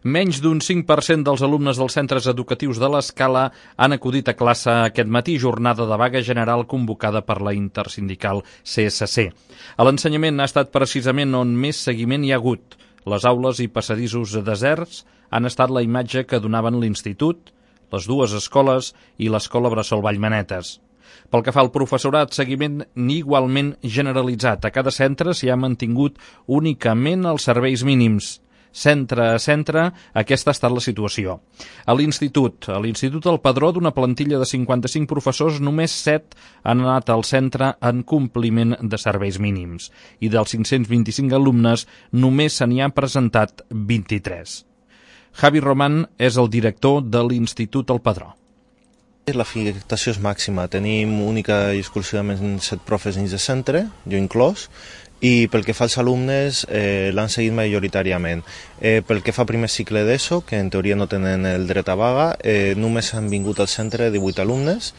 Menys d'un 5% dels alumnes dels centres educatius de l'Escala han acudit a classe aquest matí, jornada de vaga general convocada per la intersindical CSC. A l'ensenyament ha estat precisament on més seguiment hi ha hagut. Les aules i passadissos deserts han estat la imatge que donaven l'Institut, les dues escoles i l'Escola Bressol Vallmanetes. Pel que fa al professorat, seguiment igualment generalitzat. A cada centre s'hi ha mantingut únicament els serveis mínims. Centre a centre, aquesta ha estat la situació. A l'Institut del Padró, d'una plantilla de 55 professors, només 7 han anat al centre en compliment de serveis mínims. I dels 525 alumnes, només se n'hi han presentat 23. Javi Román és el director de l'Institut del Padró. L'afectació és màxima. Tenim única i exclusivament 7 profes dins de centre, jo inclòs, i pel que fa als alumnes l'han seguit majoritàriament. Pel que fa a primer cicle d'ESO, que en teoria no tenen el dret a vaga, només han vingut al centre 18 alumnes,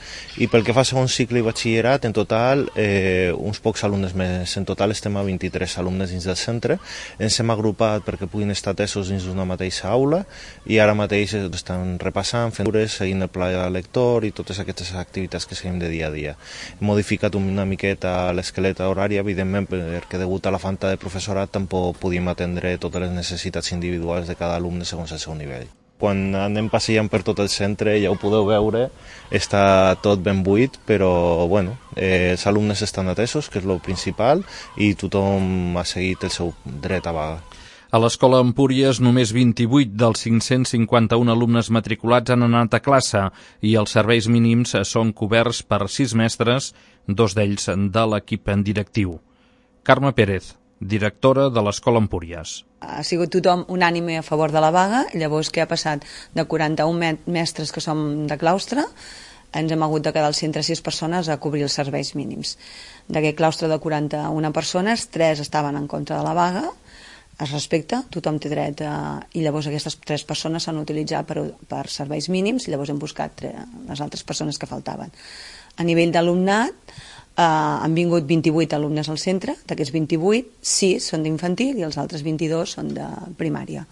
i pel que fa a segon cicle i batxillerat, en total uns pocs alumnes més. En total estem a 23 alumnes dins del centre. Ens hem agrupat perquè puguin estar atesos dins d'una mateixa aula, i ara mateix estan repassant, fent cures, seguint el pla lector i totes aquestes activitats que seguim de dia a dia. Hem modificat una miqueta l'esquelet horari, evidentment, perquè degut a la falta de professorat tampoc podíem atendre totes les necessitats individuals de cada alumne segons el seu nivell. Quan anem passejant per tot el centre, ja ho podeu veure, està tot ben buit, però bueno, els alumnes estan atesos, que és el principal, i tothom ha seguit el seu dret a vaga. A l'Escola Empúries, només 28 dels 551 alumnes matriculats han anat a classe i els serveis mínims són coberts per 6 mestres, 2 d'ells de l'equip directiu. Carme Pérez, directora de l'Escola Empúries. Ha sigut tothom unànime a favor de la vaga, llavors què ha passat? De 41 mestres que som de claustre, ens hem hagut de quedar al centre 6 persones a cobrir els serveis mínims. D'aquest claustre de 41 persones, 3 estaven en contra de la vaga, es respecta, tothom té dret i llavors aquestes 3 persones s'han utilitzat per serveis mínims i llavors hem buscat les altres persones que faltaven. A nivell d'alumnat, han vingut 28 alumnes al centre, d'aquests 28, 6 són d'infantil i els altres 22 són de primària.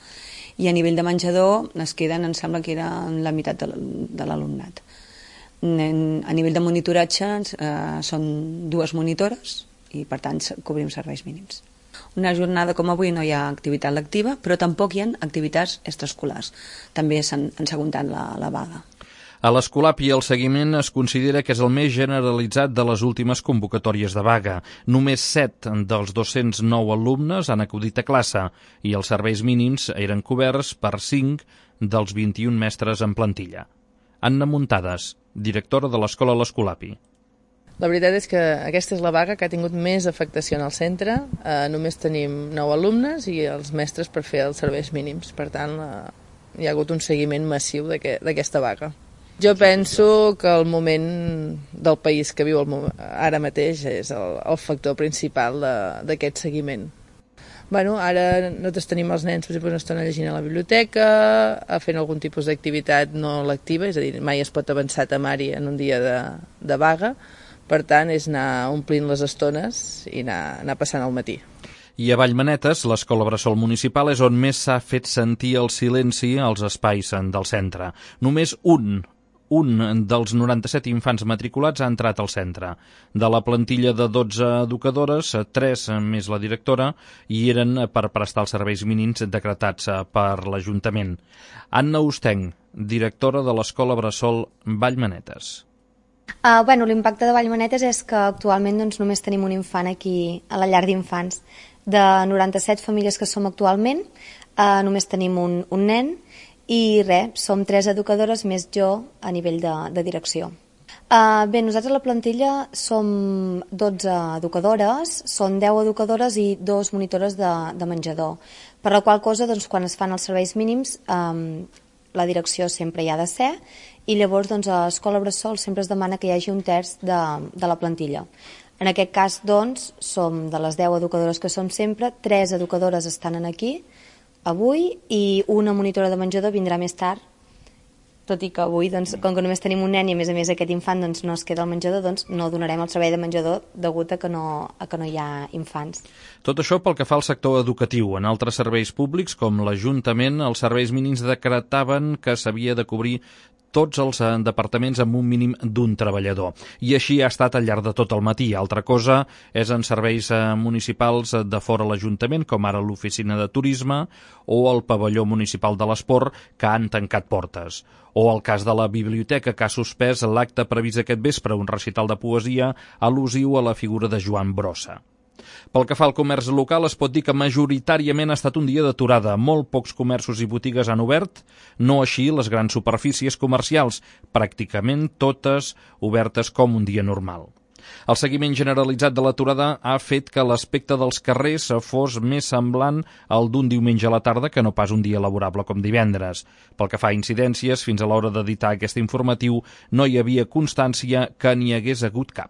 I a nivell de menjador es queden, em sembla que era la meitat de l'alumnat. A nivell de monitoratge són 2 monitores i per tant cobrim serveis mínims. Una jornada com avui no hi ha activitat lectiva, però tampoc hi ha activitats extraescolars. També s'han segundat la vaga. A l'Escolapi el seguiment es considera que és el més generalitzat de les últimes convocatòries de vaga. Només 7 dels 209 alumnes han acudit a classe i els serveis mínims eren coberts per 5 dels 21 mestres en plantilla. Anna Muntades, directora de l'Escola l'Escolapi. La veritat és que aquesta és la vaga que ha tingut més afectació en el centre. Només tenim 9 alumnes i els mestres per fer els serveis mínims. Per tant, hi ha hagut un seguiment massiu d'aquesta vaga. Jo penso que el moment del país que viu ara mateix és el factor principal d'aquest seguiment. Ara nosaltres tenim els nens, per exemple, una estona llegint a la biblioteca, fent algun tipus d'activitat no lectiva, és a dir, mai es pot avançar a temari en un dia de vaga, per tant és anar omplint les estones i anar passant el matí. I a Vallmanetes, l'Escola Bressol Municipal és on més s'ha fet sentir el silenci als espais del centre. Només un dels 97 infants matriculats ha entrat al centre. De la plantilla de 12 educadores, 3 més la directora, i eren per prestar els serveis mínims decretats per l'Ajuntament. Anna Ostenc, directora de l'Escola Bressol Vallmanetes. L'impacte de Vallmanetes és que actualment només tenim un infant aquí a la llar d'infants. De 97 famílies que som actualment, només tenim un nen, i som 3 educadores més jo a nivell de direcció. Nosaltres a la plantilla som 12 educadores, són 10 educadores i 2 monitores de menjador, per la qual cosa quan es fan els serveis mínims la direcció sempre hi ha de ser i llavors a l'Escola Bressol sempre es demana que hi hagi un terç de la plantilla. En aquest cas som de les 10 educadores que som sempre, 3 educadores estan aquí avui i una monitora de menjador vindrà més tard tot i que avui, doncs, com que només tenim un nen i a més aquest infant doncs, no es queda al menjador, doncs no donarem el servei de menjador degut a que no hi ha infants. Tot això pel que fa al sector educatiu. En altres serveis públics, com l'Ajuntament, els serveis mínims decretaven que s'havia de cobrir tots els departaments amb un mínim d'un treballador. I així ha estat al llarg de tot el matí. Altra cosa és en serveis municipals de fora l'Ajuntament, com ara l'oficina de turisme o el pavelló municipal de l'esport, que han tancat portes. O el cas de la biblioteca, que ha suspès l'acte previst aquest vespre, un recital de poesia al·lusiu a la figura de Joan Brossa. Pel que fa al comerç local, es pot dir que majoritàriament ha estat un dia d'aturada. Molt pocs comerços i botigues han obert, no així les grans superfícies comercials, pràcticament totes obertes com un dia normal. El seguiment generalitzat de l'aturada ha fet que l'aspecte dels carrers fos més semblant al d'un diumenge a la tarda que no pas un dia laborable com divendres. Pel que fa a incidències, fins a l'hora d'editar aquest informatiu no hi havia constància que n'hi hagués hagut cap.